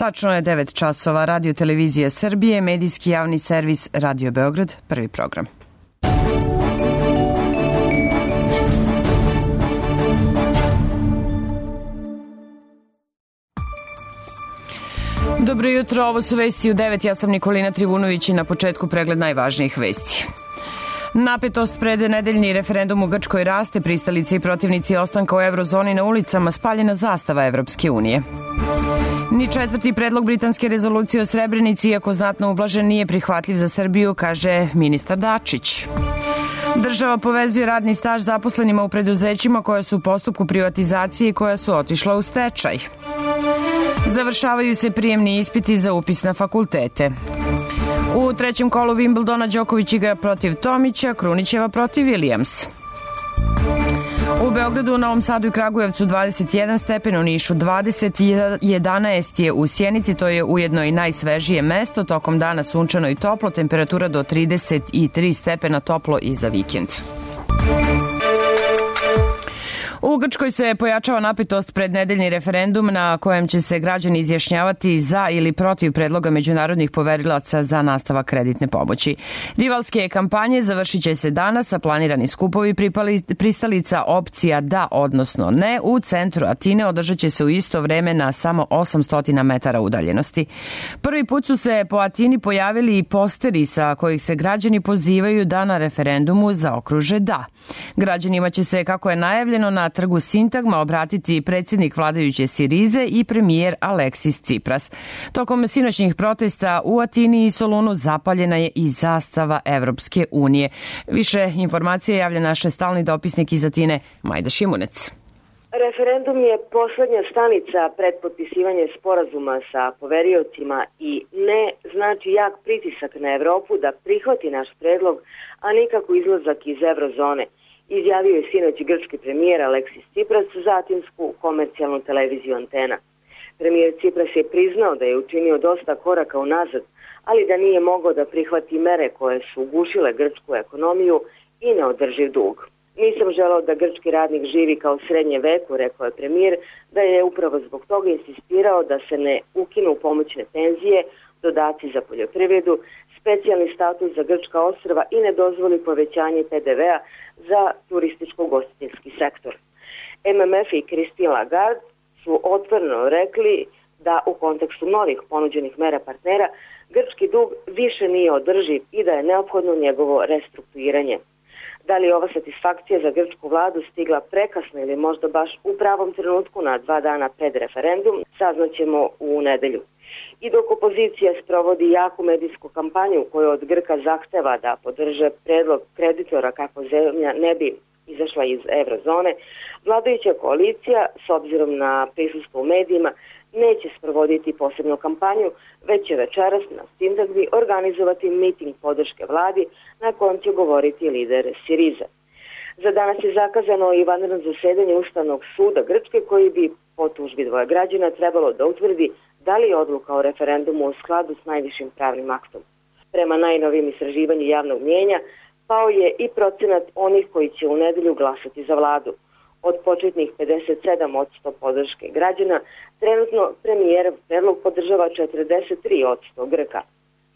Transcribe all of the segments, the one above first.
Tačno je 9 časova. Radio Televizija Srbije, medijski javni servis Radio Beograd, prvi program. Dobro jutro, ovo su vesti u 9. Ja sam Nikolina Trivunović i na početku pregled najvažnijih vesti. Napetost pred nedeljni referendum u Grčkoj raste, pristalice i protivnici ostanka u eurozoni na ulicama, spaljena zastava Evropske unije. Ni četvrti predlog britanske rezolucije o Srebrenici, iako znatno ublažen, nije prihvatljiv za Srbiju, kaže ministar Dačić. Država povezuje radni staž zaposlenima u preduzećima koja su u postupku privatizacije i koja su otišla u stečaj. Završavaju se prijemni ispiti za upis na fakultete. U trećem kolu Wimbledona Đoković igra protiv Tomića, Krunićeva protiv Williams. U Beogradu, Novom Sadu i Kragujevcu 21 stepen, u Nišu 20, 11 je u Sjenici, to je ujedno i najsvežije mesto. Tokom dana sunčano i toplo, temperatura do 33 stepena, toplo i za vikend. U Grčkoj se pojačava napetost pred nedeljni referendum na kojem će se građani izjašnjavati za ili protiv predloga međunarodnih poverilaca za nastavak kreditne pomoći. Rivalske kampanje završit će se danas, a planirani skupovi pristalica opcija da, odnosno ne, u centru Atine održat će se u isto vreme na samo 800 metara udaljenosti. Prvi put su se po Atini pojavili i posteri sa kojih se građani pozivaju da na referendumu zaokruže da. Građanima će se, kako je najavljeno, na trgu Sintagma obratiti predsjednik vladajuće Sirize i premijer Aleksis Cipras. Tokom sinoćnih protesta u Atini i Solunu zapaljena je i zastava Evropske unije. Više informacije javlja naš stalni dopisnik iz Atine, Majda Šimunec. Referendum je poslednja stanica pred potpisivanje sporazuma sa poveriocima i ne znači jak pritisak na Evropu da prihvati naš predlog, a nikako izlazak iz eurozone, izjavio je sinoć grčki premijer Aleksis Cipras za atinsku komercijalnu televiziju Antena. Premijer Cipras je priznao da je učinio dosta koraka unazad, ali da nije mogao da prihvati mere koje su ugušile grčku ekonomiju i neodrživ dug. Nisam želeo da grčki radnik živi kao srednje veku, rekao je premijer, da je upravo zbog toga insistirao da se ne ukinu pomoćne penzije, dodaci za poljoprivredu, specijalni status za grčka ostrva i ne dozvoli povećanje PDV-a za turističko-ugostiteljski sektor. MMF i Christine Lagarde su otvoreno rekli da u kontekstu novih ponuđenih mera partnera grčki dug više nije održiv i da je neophodno njegovo restrukturiranje. Da li je ova satisfakcija za grčku vladu stigla prekasno ili možda baš u pravom trenutku na 2 dana pred referendum, saznaćemo u nedelju. I dok opozicija sprovodi jaku medijsku kampanju koju od Grka zahteva da podrže predlog kreditora kako zemlja ne bi izašla iz eurozone, vladajuća koalicija, s obzirom na prisustvo u medijima, neće sprovoditi posebnu kampanju, već će večeras na Sintagmi organizovati miting podrške vladi na kojem će govoriti lider Sirize. Za danas je zakazano i vanredno zasedanje Ustavnog suda Grčke koji bi po tužbi dvoje građana trebalo da utvrdi da li je odluka o referendumu u skladu s najvišim pravnim aktom. Prema najnovijim istraživanju javnog mnijenja pao je i procenat onih koji će u nedelju glasati za vladu. Od početnih 57% podrške građana, trenutno premijerov predlog podržava 43% Grka,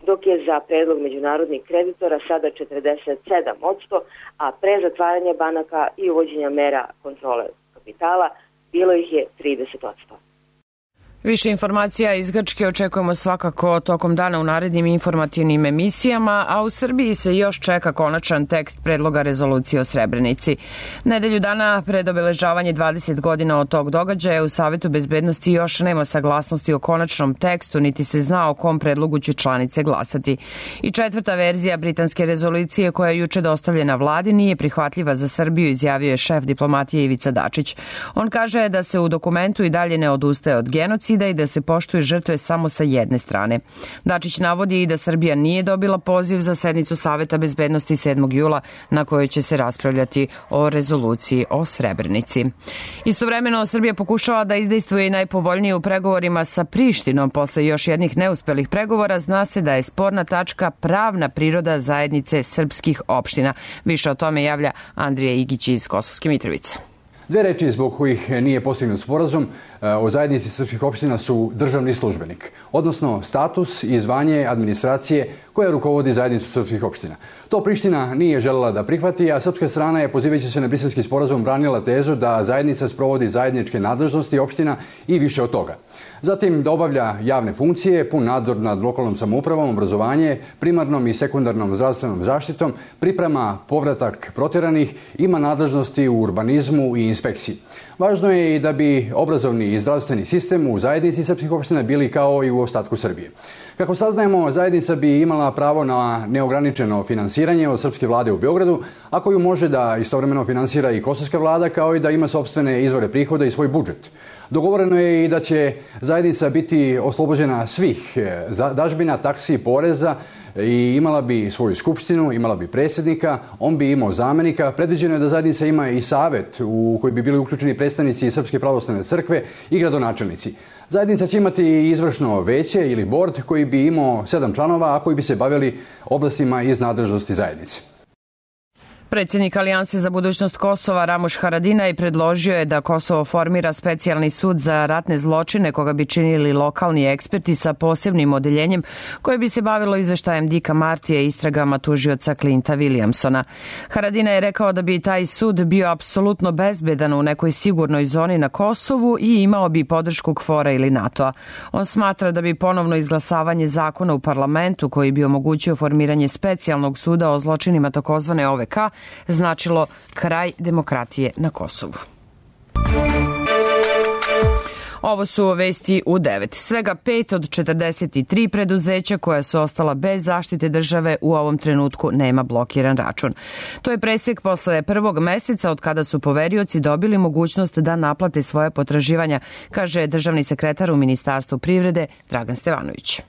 dok je za predlog međunarodnih kreditora sada 47%, a pre zatvaranja banaka i uvođenja mera kontrole kapitala bilo ih je 30%. Više informacija iz Grčke očekujemo svakako tokom dana u narednim informativnim emisijama, a u Srbiji se još čeka konačan tekst predloga rezolucije o Srebrenici. Nedelju dana pred obeležavanje 20 godina od tog događaja u Savetu bezbednosti još nema saglasnosti o konačnom tekstu, niti se zna o kom predlogu će članice glasati. I četvrta verzija britanske rezolucije koja je juče dostavljena vladi nije prihvatljiva za Srbiju, izjavio je šef diplomatije Ivica Dačić. On kaže da se u dokumentu i dalje ne odustaje od genocida i da se poštuju žrtve samo sa jedne strane. Dačić navodi i da Srbija nije dobila poziv za sednicu Saveta bezbednosti 7. jula na kojoj će se raspravljati o rezoluciji o Srebrenici. Istovremeno Srbija pokušava da izdejstvuje najpovoljnije u pregovorima sa Prištinom. Posle još jednih neuspelih pregovora zna se da je sporna tačka pravna priroda zajednice srpskih opština. Više o tome javlja Andrija Igić iz Kosovske Mitrovice. Dve reči zbog kojih nije postignut sporazum o zajednici srpskih opština su državni službenik, odnosno status i zvanje administracije koja rukovodi zajednicu srpskih opština. To Priština nije želela da prihvati, a srpska strana je, pozivajući se na Briselski sporazum, branila tezu da zajednica sprovodi zajedničke nadležnosti opština i više od toga. Zatim da obavlja javne funkcije, pun nadzor nad lokalnom samoupravom, obrazovanje, primarnom i sekundarnom zdravstvenom zaštitom, priprema povratak proteranih, ima nadležnosti u urbanizmu i inspekciji. Važno je i da bi obrazovni i zdravstveni sistem u zajednici srpskih opština bili kao i u ostatku Srbije. Kako saznajemo, zajednica bi imala pravo na neograničeno finansiranje od srpske vlade u Beogradu, a koju može da istovremeno finansira i kosovska vlada, kao i da ima sopstvene izvore prihoda i svoj budžet. Dogovoreno je i da će zajednica biti oslobođena svih dažbina, taksi, poreza i imala bi svoju skupštinu, imala bi predsjednika, on bi imao zamenika. Predviđeno je da zajednica ima i savet u koji bi bili uključeni predstavnici Srpske pravoslavne crkve i gradonačelnici. Zajednica će imati izvršno veće ili bord koji bi imao 7 članova, a koji bi se bavili oblastima iz nadležnosti zajednice. Predsjednik Alijanse za budućnost Kosova Ramuš Haradinaj predložio je da Kosovo formira specijalni sud za ratne zločine koga bi činili lokalni eksperti sa posebnim odeljenjem koje bi se bavilo izveštajem Dika Martija i istragama tužioca Clinta Williamsona. Haradinaj je rekao da bi taj sud bio apsolutno bezbedan u nekoj sigurnoj zoni na Kosovu i imao bi podršku KFOR-a ili NATO-a. On smatra da bi ponovno izglasavanje zakona u parlamentu koji bi omogućio formiranje specijalnog suda o zločinima takozvane OVK značilo kraj demokratije na Kosovu. Ovo su vesti u 9. Svega 5 od 43 preduzeća koja su ostala bez zaštite države u ovom trenutku nema blokiran račun. To je presek posle prvog meseca od kada su poverioci dobili mogućnost da naplate svoje potraživanja, kaže državni sekretar u Ministarstvu privrede Dragan Stevanović.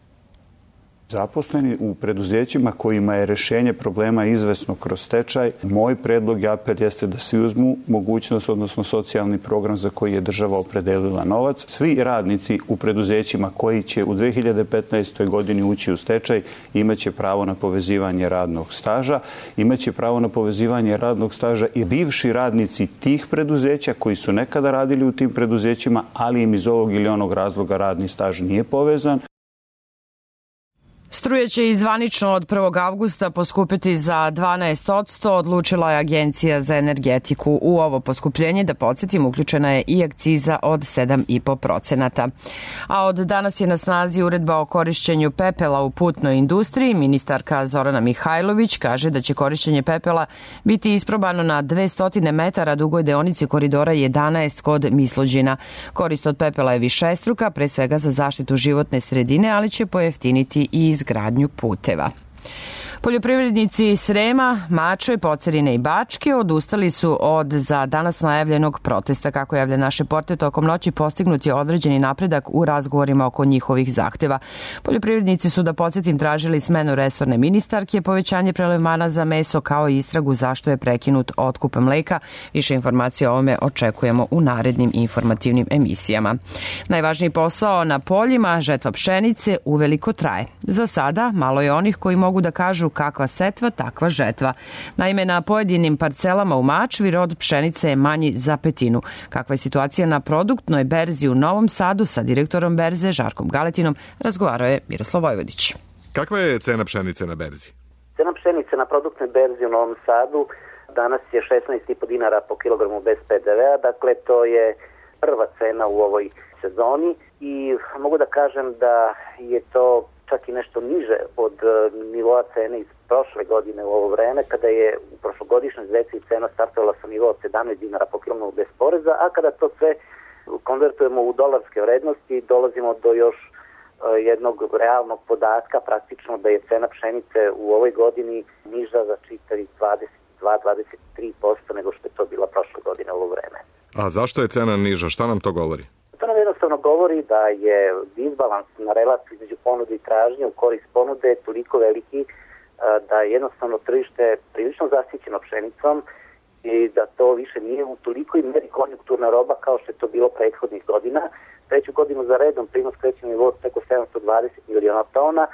Zaposleni u preduzećima kojima je rešenje problema izvesno kroz stečaj, moj predlog i apel jeste da svi uzmu mogućnost, odnosno socijalni program za koji je država opredelila novac. Svi radnici u preduzećima koji će u 2015. godini ući u stečaj imaće pravo na povezivanje radnog staža. Imaće pravo na povezivanje radnog staža i bivši radnici tih preduzeća koji su nekada radili u tim preduzećima, ali im iz ovog ili onog razloga radni staž nije povezan. Struja će i zvanično od 1. avgusta poskupiti za 12%, odlučila je Agencija za energetiku. U ovo poskupljenje, da podsjetim, uključena je i akciza od 7,5%. A od danas je na snazi uredba o korišćenju pepela u putnoj industriji. Ministarka Zorana Mihajlović kaže da će korišćenje pepela biti isprobano na 200 metara dugoj deonici koridora 11 kod Mislođina. Korist od pepela je višestruka, pre svega za zaštitu životne sredine, ali će pojeftiniti i izgradnju puteva. Poljoprivrednici Srema, Mačve, Pocerine i Bačke odustali su od za danas najavljenog protesta. Kako javlja naš reporter, tokom noći postignut je određeni napredak u razgovorima oko njihovih zahteva. Poljoprivrednici su, da podsjetim, tražili smenu resorne ministarke, povećanje prelevmana za meso kao i istragu zašto je prekinut otkup mleka. Više informacija o ovome očekujemo u narednim informativnim emisijama. Najvažniji posao na poljima, žetva pšenice, uveliko traje. Za sada malo je onih koji mogu da kažu kakva setva, takva žetva. Naime, na pojedinim parcelama u Mačvi rod pšenice je manji za petinu. Kakva je situacija na produktnoj berzi u Novom Sadu, sa direktorom berze Žarkom Galetinom razgovarao je Miroslav Vojvodić. Kakva je cena pšenice na berzi? Cena pšenice na produktnoj berzi u Novom Sadu danas je 16,5 dinara po kilogramu bez PDV-a, dakle to je prva cena u ovoj sezoni i mogu da kažem da je to čak i nešto niže od nivoa cene iz prošle godine u ovo vreme, kada je u prošlogodišnjoj zeci cena startovala sa nivoa od 17 dinara po kilogramu bez poreza, a kada to sve konvertujemo u dolarske vrednosti, dolazimo do još jednog realnog podatka, praktično da je cena pšenice u ovoj godini niža za čitavih 22-23% nego što je to bila prošle godine u ovo vreme. A zašto je cena niža? Šta nam to govori? To nam jednostavno govori da je disbalans na relaciju između ponude i tražnje u korist ponude toliko veliki da je jednostavno tržište prilično zasićeno pšenicom i da to više nije u tolikoj meri konjunkturna roba kao što je to bilo prethodnih godina. Treću godinu za redom prinos kreće na nivou preko 720 miliona tona,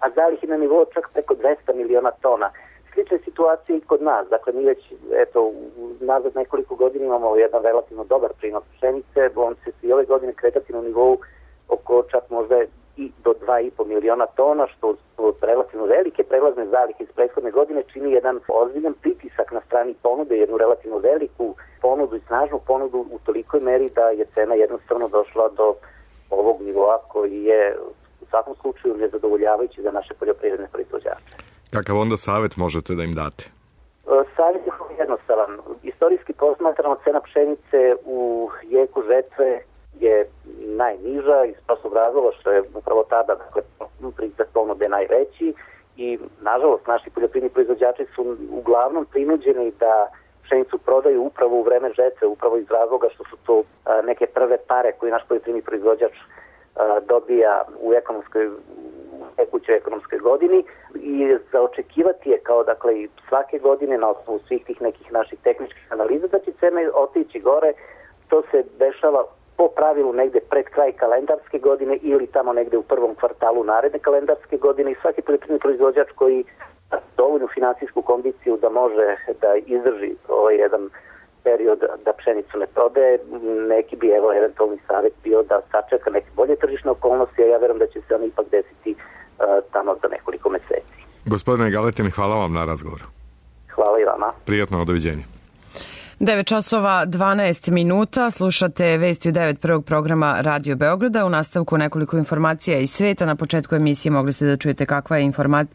a zalih je na nivou čak preko 200 miliona tona. slične situacije i kod nas. Dakle, mi već, nazad nekoliko godina imamo jedan relativno dobar prinos pšenice, on će se i ove godine kretati na nivou oko čak možda i do 2,5 miliona tona, što su relativno velike prelazne zalihe iz prethodne godine čini jedan ozbiljan pritisak na strani ponude, jednu relativno veliku ponudu i snažnu ponudu u tolikoj meri da je cena jednostavno došla do ovog nivoa koji je u svakom slučaju nezadovoljavajući za naše poljoprivredne proizvođače. Kakav onda savjet možete da im date? Savjet je jednostavan. Istorijski posmatrano cena pšenice u jeku žetve je najniža iz prostog razloga što je upravo tada pritisak ponude najveći i nažalost naši poljoprivredni proizvođači su uglavnom prinuđeni da pšenicu prodaju upravo u vreme žetve, upravo iz razloga što su to neke prve pare koje naš poljoprivredni proizvođač dobija u tekućoj ekonomskoj godini i za očekivati je kao dakle svake godine na osnovu svih tih nekih naših tehničkih analiza da će cene otići gore. To se dešava po pravilu negde pred kraj kalendarske godine ili tamo negde u prvom kvartalu naredne kalendarske godine i svaki poljoprivredni proizvođač koji dovoljnu finansijsku kondiciju da može da izdrži ovaj jedan period da pšenicu ne prodaje, neki bi eventualni savjet bio da sačeka neke bolje tržišne okolnosti, a ja verujem da će se oni ipak desiti tamo za nekoliko meseci. Gospodine Galetin, hvala vam na razgovoru. Hvala i vama. Prijatno, doviđenja. 9 časova 12 minuta, slušate vesti u 9 prvog programa Radio Beograda. U nastavku nekoliko informacija iz sveta. Na početku emisije mogli ste da čujete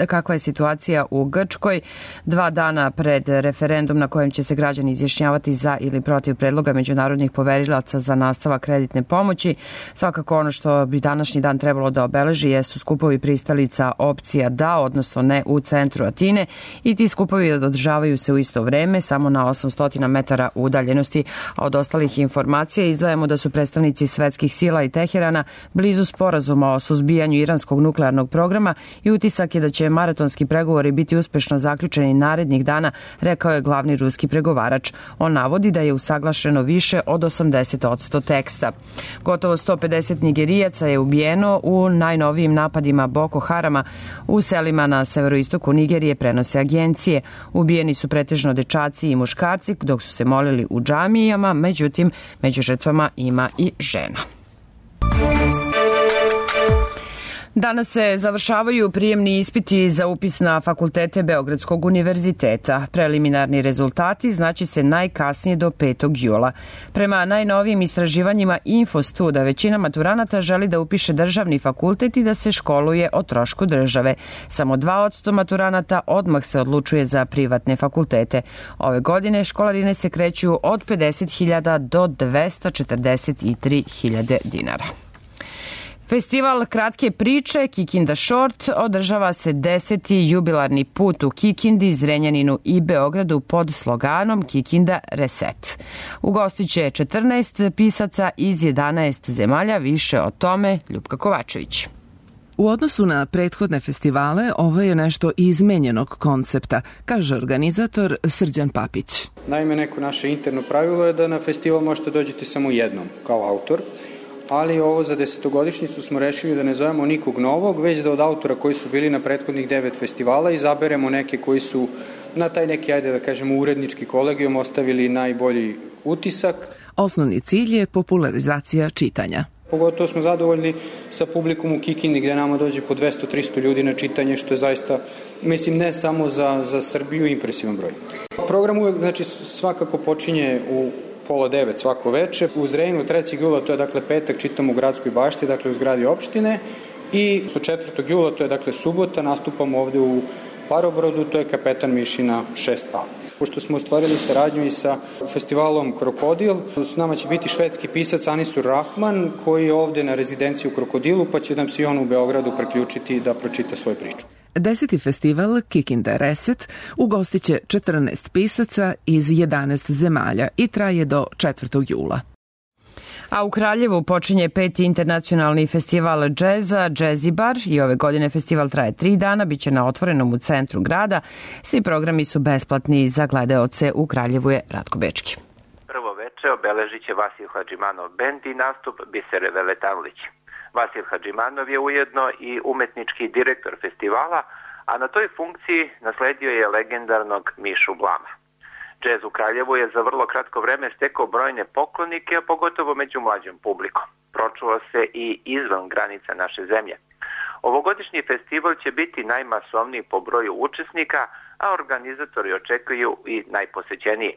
kakva je situacija u Grčkoj. 2 dana pred referendum na kojem će se građani izjašnjavati za ili protiv predloga međunarodnih poverilaca za nastavak kreditne pomoći. Svakako ono što bi današnji dan trebalo da obeleži jesu skupovi pristalica opcija da, odnosno ne u centru Atine i ti skupovi održavaju se u isto vreme, samo na 800 metara udaljenosti. A od ostalih informacija izdvajamo da su predstavnici svetskih sila i Teherana blizu sporazuma o suzbijanju iranskog nuklearnog programa i utisak je da će maratonski pregovori biti uspešno zaključeni narednih dana, rekao je glavni ruski pregovarač. On navodi da je usaglašeno više od 80% teksta. Gotovo 150 Nigerijaca je ubijeno u najnovijim napadima Boko Harama u selima na severoistoku Nigerije, prenose agencije. Ubijeni su pretežno dečaci i muškarci, dok su se molili u džamijama, međutim, među žrtvama ima i žena. Danas se završavaju prijemni ispiti za upis na fakultete Beogradskog univerziteta. Preliminarni rezultati znaće se najkasnije do 5. jula. Prema najnovijim istraživanjima Infostuda, većina maturanata želi da upiše državni fakultet i da se školuje o trošku države. Samo 2% maturanata odmah se odlučuje za privatne fakultete. Ove godine školarine se kreću od 50.000 do 243.000 dinara. Festival kratke priče Kikinda Short održava se 10. jubilarni put u Kikindi, Zrenjaninu i Beogradu pod sloganom Kikinda Reset. Ugostiće 14 pisaca iz 11 zemalja, više o tome Ljupka Kovačević. U odnosu na prethodne festivale, ovo je nešto izmenjenog koncepta, kaže organizator Srđan Papić. Naime, neko naše interno pravilo je da na festival možete dođeti samo jednom kao autor, ali ovo za 10-godišnjicu smo rešili da ne zovemo nikog novog, već da od autora koji su bili na prethodnih 9 festivala izaberemo neke koji su na taj neki, ajde da kažemo, urednički kolegijum ostavili najbolji utisak. Osnovni cilj je popularizacija čitanja. Pogotovo smo zadovoljni sa publikum u Kikindi gde nama dođe po 200-300 ljudi na čitanje, što je zaista, mislim, ne samo za Srbiju, impresivan broj. Program uvek, znači, svakako počinje u 8:30 svako veče. U Zrenjaninu 3. jula, to je dakle petak, čitamo u Gradskoj bašti, dakle u zgradi opštine, i 4. jula, to je dakle subota, nastupamo ovde u Parobrodu, to je Kapetan Mišina 6A. Pošto smo ostvarili saradnju i sa festivalom Krokodil, s nama će biti švedski pisac Anisur Rahman, koji je ovde na rezidenciji u Krokodilu, pa će nam se i on u Beogradu priključiti da pročita svoju priču. 10. festival Kikinda Reset ugostiće 14 pisaca iz 11 zemalja i traje do 4. jula. A u Kraljevu počinje 5. internacionalni festival džeza Džezibar i ove godine festival traje 3 dana, biće na otvorenom u centru grada. Svi programi su besplatni za gledaoce. U Kraljevu je Ratko Bečki. Prvo veče obeležit će Vasil Hadžimanov bend i nastup Bisere Veletanlić. Vasil Hadžimanov je ujedno i umetnički direktor festivala, a na toj funkciji nasledio je legendarnog Mišu Blama. Džez u Kraljevu je za vrlo kratko vreme stekao brojne poklonike, a pogotovo među mlađom publikom. Pročuo se i izvan granica naše zemlje. Ovogodišnji festival će biti najmasovniji po broju učesnika, a organizatori očekuju i najposećeniji.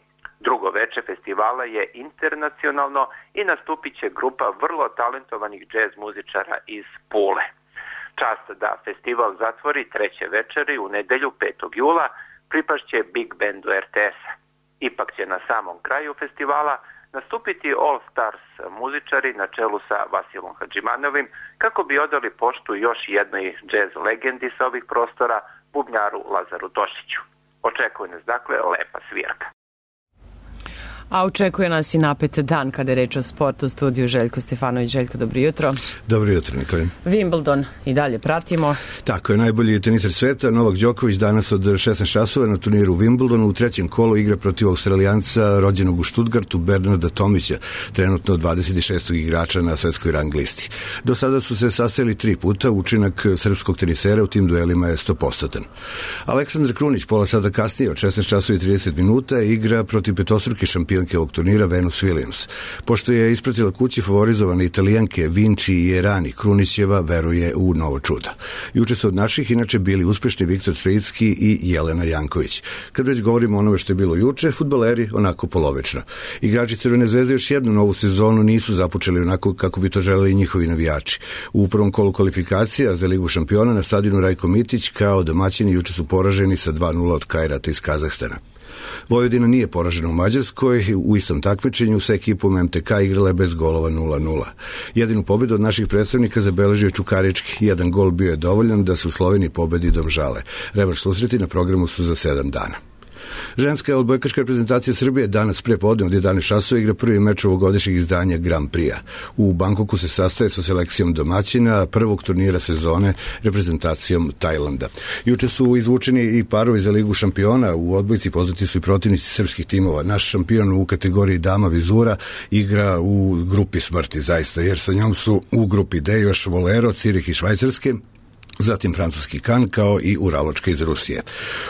Drugo veče festivala je internacionalno i nastupit će grupa vrlo talentovanih džez muzičara iz Pule. Čast da festival zatvori treće večeri u nedelju 5. jula pripašće Big Bandu RTS-a. Ipak će na samom kraju festivala nastupiti All Stars muzičari na čelu sa Vasilom Hadžimanovim kako bi odali poštu još jednoj džez legendi sa ovih prostora, bubnjaru Lazaru Tošiću. Očekuje nas dakle lepa svirka. A očekuje nas i napet dan kada je reč o sportu. U studiju Željko Stefanović. Željko, dobro jutro. Dobro jutro, Nikolaj. Wimbledon i dalje pratimo. Tako je, najbolji teniser sveta Novak Đoković danas od 16 časova na turniru u Wimbledonu u trećem kolu igra protiv Australijanca rođenog u Stuttgartu Bernarda Tomića, trenutno 26. igrača na svetskoj rang listi. Do sada su se sastajali 3 puta, učinak srpskog tenisera u tim duelima je 100%. Aleksandar Krunić pola sata kasnije od 16 časova i 30 minuta igra protiv petostruke šampionke ovog turnira Venus Williams. Pošto je ispratila kući favorizovane Italijanke Vinci i Erani, Krunićeva veruje u novo čudo. Juče su od naših inače bili uspešni Viktor Trojicki i Jelena Janković. Kad već govorimo o onome što je bilo juče, fudbaleri onako polovično. Igrači Crvene zvezde još jednu novu sezonu nisu započeli onako kako bi to želeli njihovi navijači. U prvom kolu kvalifikacija za Ligu šampiona na stadionu Rajko Mitić kao domaćini juče su poraženi sa 2:0 od Kajrata iz Kazahstana. Vojvodina nije poražena u Mađarskoj, u istom takmičenju sa ekipom MTK igrala je bez golova 0:0. Jedinu pobedu od naših predstavnika zabeležio je Čukarički, jedan gol bio je dovoljan da se u Sloveniji pobedi Domžale. Revanš susreti na programu su za 7 dana. Ženska odbojkaška reprezentacija Srbije danas pre podne od 11 časova igra prvi meč ovogodišnjeg izdanja Grand Prix-a. U Bangkoku se sastaje sa selekcijom domaćina prvog turnira sezone reprezentacijom Tajlanda. Juče su izvučeni i parovi za Ligu šampiona u odbojci, poznati su i protivnici srpskih timova. Naš šampion u kategoriji dama Vizura igra u grupi smrti zaista, jer sa njom su u grupi D još Volero, Cirih i Švajcarske, zatim francuski Kan kao i Uraločka iz Rusije.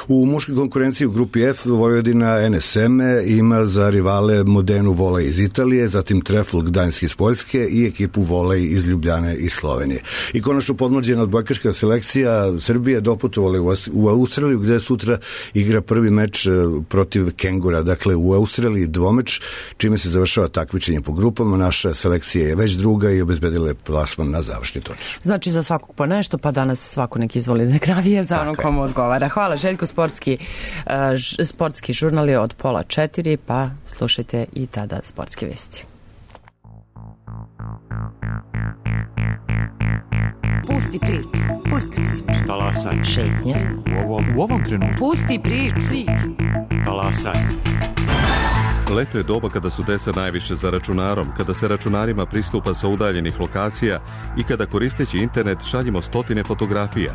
U muškoj konkurenciji u grupi F Vojvodina NSM ima za rivale Modenu Volej iz Italije, zatim Trefl Gdańsk iz Poljske i ekipu Volej iz Ljubljane i Slovenije. I konačno podmlađena odbojkaška selekcija Srbije doputovala u Australiju gde sutra igra prvi meč protiv Kengura. Dakle, u Australiji dvomeč, čime se završava takmičenje po grupama. Naša selekcija je već druga i obezbedila je plasman na završni turnir. Znači za svakog po nešto, pa danas svako neki izvoli nek navija za ono komu odgovara. Hvala, Željko. Sportski žurnal je od 3:30, pa slušajte i tada sportske vesti. Pusti priču. Pusti priču. Talasaj. Šetnje. U ovom trenutku. Pusti priču. Talasaj. Leto je doba kada su deca najviše za računarom, kada se računarima pristupa sa udaljenih lokacija i kada koristeći internet šaljimo stotine fotografija.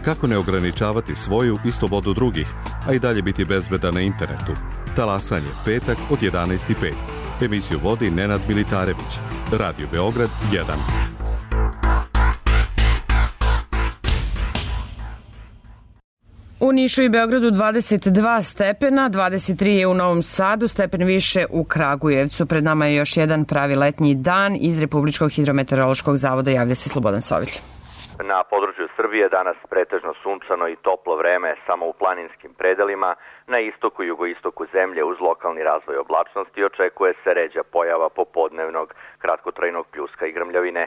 Kako ne ograničavati svoju i slobodu drugih, a i dalje biti bezbedan na internetu? Talasanje, petak od 11:05. Emisiju vodi Nenad Militarević. Radio Beograd 1. U Nišu i Beogradu 22 stepena, 23 je u Novom Sadu, stepen više u Kragujevcu. Pred nama je još jedan pravi letnji dan. Iz Republičkog hidrometeorološkog zavoda javlja se Slobodan Sović. Na području Srbije danas pretežno sunčano i toplo vreme samo u planinskim predelima. Na istoku i jugoistoku zemlje uz lokalni razvoj oblačnosti očekuje se ređa pojava popodnevnog kratkotrajnog pljuska i grmljavine.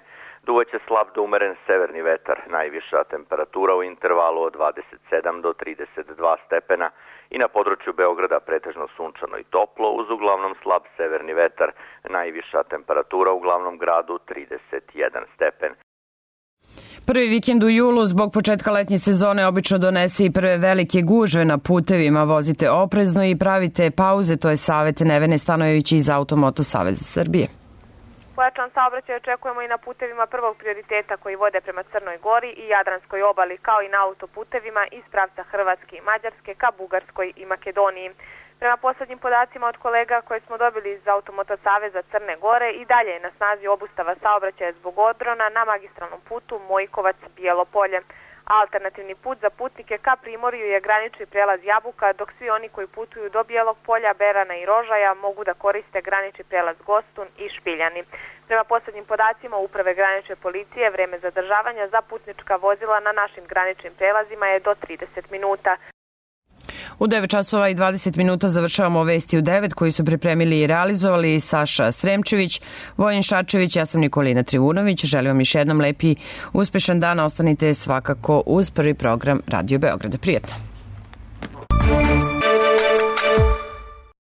Duvaće slab do umeren severni vetar, najviša temperatura u intervalu od 27 do 32 stepena i na području Beograda pretežno sunčano i toplo uz uglavnom slab severni vetar, najviša temperatura u glavnom gradu 31 stepen. Prvi vikend u julu zbog početka letnje sezone obično donese i prve velike gužve na putevima. Vozite oprezno i pravite pauze, to je savjet Nevene Stanojević iz Automoto Saveza Srbije. Pojačan saobraćaj očekujemo i na putevima prvog prioriteta koji vode prema Crnoj Gori i Jadranskoj obali, kao i na autoputevima iz pravca Hrvatske i Mađarske ka Bugarskoj i Makedoniji. Prema poslednjim podacima od kolega koje smo dobili iz Automoto Saveza Crne Gore i dalje je na snazi obustava saobraćaja zbog odrona na magistralnom putu Mojkovac-Bijelo Polje. Alternativni put za putnike ka Primorju je granični prelaz Jabuka, dok svi oni koji putuju do Bijelog Polja, Berana i Rožaja mogu da koriste granični prelaz Gostun i Špiljani. Prema poslednjim podacima Uprave granične policije, vreme zadržavanja za putnička vozila na našim graničnim prelazima je do 30 minuta. U 9 časova i 20 minuta završavamo Vesti u 9 koji su pripremili i realizovali Saša Sremčević, Vojin Šačević, ja sam Nikolina Trivunović. Želim vam još jednom lepi, uspešan dan. Ostanite svakako uz prvi program Radio Beograda. Prijetno.